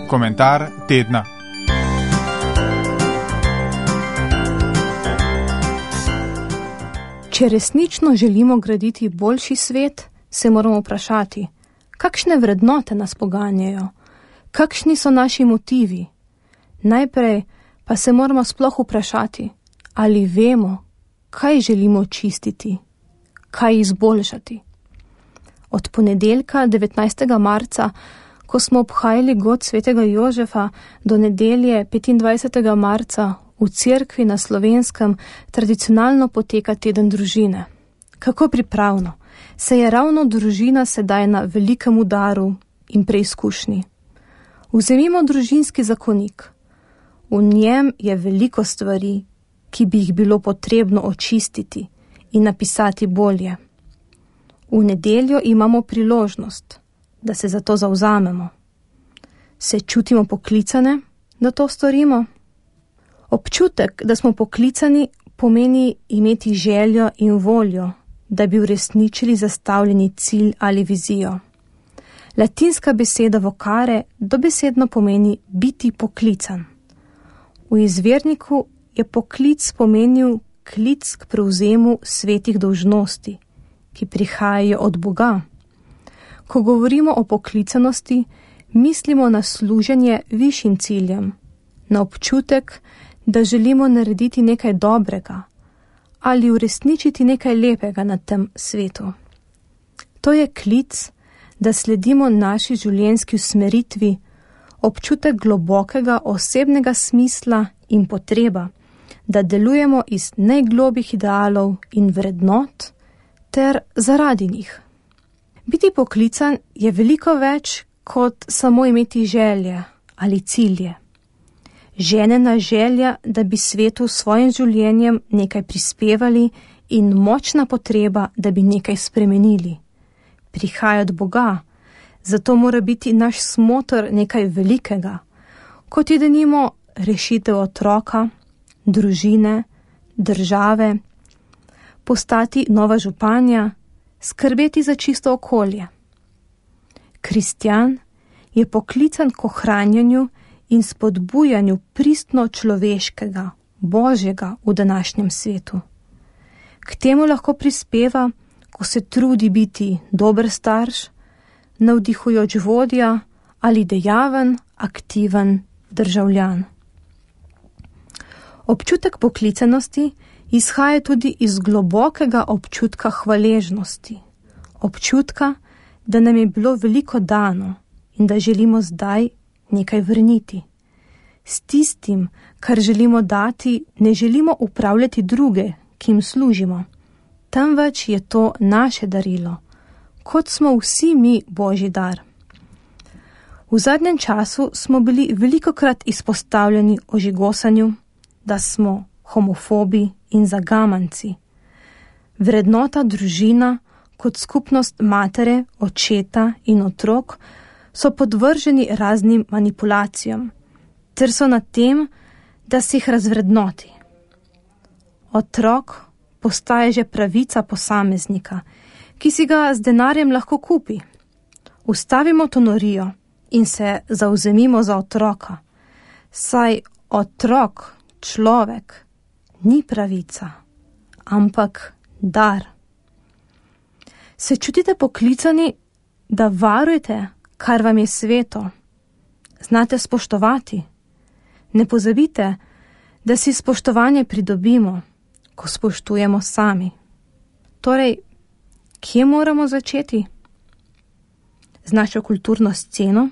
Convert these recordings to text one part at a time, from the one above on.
Komentar tedna. Če resnično želimo graditi boljši svet, se moramo vprašati, kakšne vrednote nas poganjajo, kakšni so naši motivi. Najprej pa se moramo sploh vprašati, ali vemo, kaj želimo čistiti, kaj izboljšati. Od ponedeljka 19. marca, ko smo obhajali god svetega Jožefa, do nedelje 25. marca v cerkvi na Slovenskem tradicionalno poteka teden družine. Kako pripravno se je ravno družina sedaj na velikem udaru in preizkušnji. Vzemimo družinski zakonik. V njem je veliko stvari, ki bi jih bilo potrebno očistiti in napisati bolje. V nedeljo imamo priložnost, da se za to zavzamemo. Se čutimo poklicane, da to storimo? Občutek, da smo poklicani, pomeni imeti željo in voljo, da bi uresničili zastavljeni cilj ali vizijo. Latinska beseda vocare dobesedno pomeni biti poklican. V izvirniku je poklic pomenil klic k prevzemu svetih dolžnosti, ki prihajajo od Boga. Ko govorimo o poklicanosti, mislimo na služenje višjim ciljem, na občutek, da želimo narediti nekaj dobrega ali uresničiti nekaj lepega na tem svetu. To je klic, da sledimo naši življenjski usmeritvi, občutek globokega osebnega smisla in potreba, da delujemo iz najglobjih idealov in vrednot ter zaradi njih. Biti poklican je veliko več kot samo imeti želje ali cilje. Ženena želja, da bi svetu s svojim življenjem nekaj prispevali in močna potreba, da bi nekaj spremenili. Prihaja od Boga, zato mora biti naš smotor nekaj velikega, kot je denimo rešitev otroka, družine, države, postati nova županja, skrbeti za čisto okolje. Kristjan je poklican k ohranjanju in spodbujanju pristno človeškega, Božjega v današnjem svetu. K temu lahko prispeva, ko se trudi biti dober starš, navdihujoč vodja ali dejaven, aktiven državljan. Občutek poklicanosti izhaja tudi iz globokega občutka hvaležnosti, občutka, da nam je bilo veliko dano in da želimo zdaj nekaj vrniti. S tistim, kar želimo dati, ne želimo upravljati druge, ki jim služimo, temveč je to naše darilo, kot smo vsi mi Božji dar. V zadnjem času smo bili velikokrat izpostavljeni ožigosanju, da smo homofobi in zagamanci. Vrednota družina kot skupnost matere, očeta in otrok so podvrženi raznim manipulacijam, ter so na tem, da se jih razvrednoti. Otrok postaje že pravica posameznika, ki si ga z denarjem lahko kupi. Ustavimo to norijo in se zavzemimo za otroka, saj otrok, človek, ni pravica, ampak dar. Se čutite poklicani, da varujete, kar vam je sveto? Znate spoštovati? Ne pozabite, da si spoštovanje pridobimo, ko spoštujemo sami. Torej, kje moramo začeti? Z našo kulturno sceno?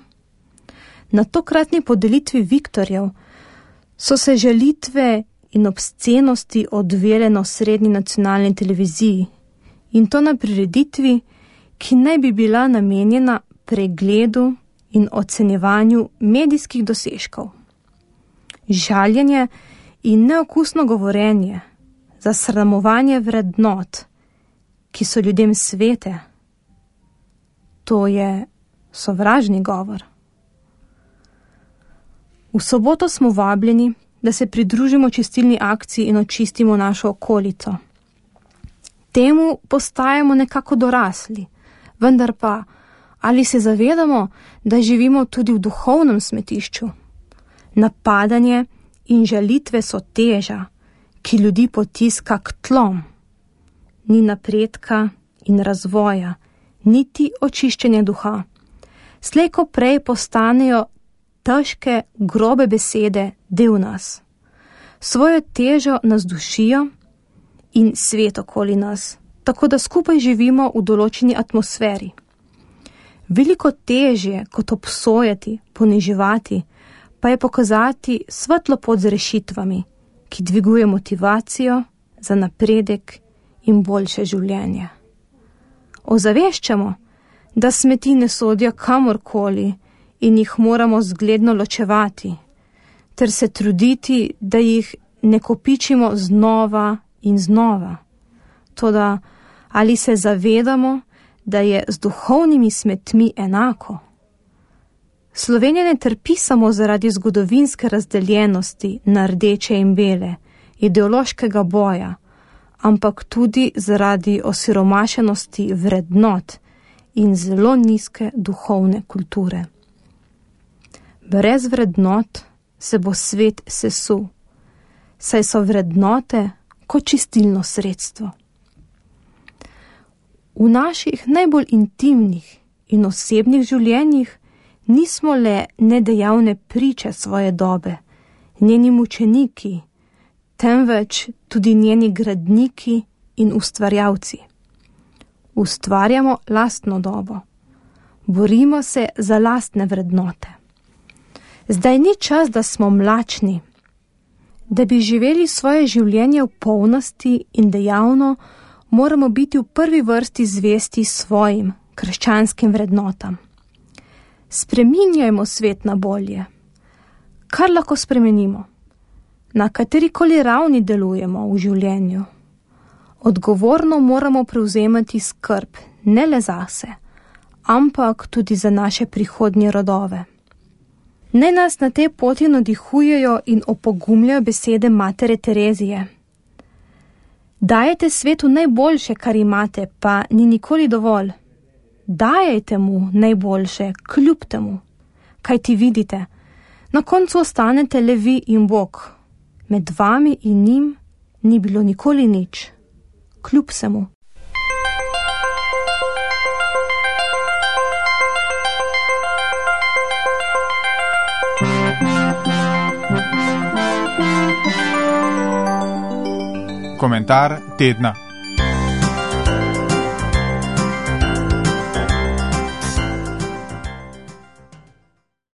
Na tokratni podelitvi Viktorjev so se žalitve in obscenosti odvijale na osrednji nacionalni televiziji, in to na prireditvi, ki naj bi bila namenjena pregledu in ocenjevanju medijskih dosežkov. Žaljenje in neokusno govorenje, zasramovanje vrednot, ki so ljudem svete, to je sovražni govor. V soboto smo vabljeni, da se pridružimo čistilni akciji in očistimo našo okolico. Temu postajamo nekako dorasli, vendar pa, Ali se zavedamo, da živimo tudi v duhovnem smetišču? Napadanje in žalitve so teža, ki ljudi potiska k tlom. Ni napredka in razvoja, niti očiščenja duha. Slej ko prej postanejo težke, grobe besede del nas. Svojo težo nas dušijo in svet okoli nas, tako da skupaj živimo v določeni atmosferi. Veliko težje kot obsojati, poniževati, pa je pokazati svetlo pot z rešitvami, ki dviguje motivacijo za napredek in boljše življenje. Ozaveščamo, da smeti ne sodijo kamorkoli in jih moramo zgledno ločevati, ter se truditi, da jih ne kopičimo znova in znova. Toda, ali se zavedamo, da je z duhovnimi smetmi enako? Slovenija ne trpi samo zaradi zgodovinske razdeljenosti na rdeče in bele, ideološkega boja, ampak tudi zaradi osiromašenosti vrednot in zelo nizke duhovne kulture. Brez vrednot se bo svet sesul, saj so vrednote kot čistilno sredstvo. V naših najbolj intimnih in osebnih življenjih nismo le nedejavne priče svoje dobe, njeni mučeniki, temveč tudi njeni gradniki in ustvarjalci. Ustvarjamo lastno dobo. Borimo se za lastne vrednote. Zdaj ni čas, da smo mlačni. Da bi živeli svoje življenje v polnosti in dejavno, moramo biti v prvi vrsti zvesti svojim krščanskim vrednotam. Spreminjajmo svet na bolje. Kar lahko spremenimo? Na katerikoli ravni delujemo v življenju? Odgovorno moramo prevzemati skrb ne le zase, ampak tudi za naše prihodnje rodove. Naj nas na tej poti navdihujejo in opogumljajo besede matere Terezije. Dajete svetu najboljše, kar imate, pa ni nikoli dovolj. Dajajte mu najboljše, kljub temu. Kaj ti vidite? Na koncu ostanete le vi in Bog. Med vami in njim ni bilo nikoli nič. Kljub vsemu. Komentar tedna.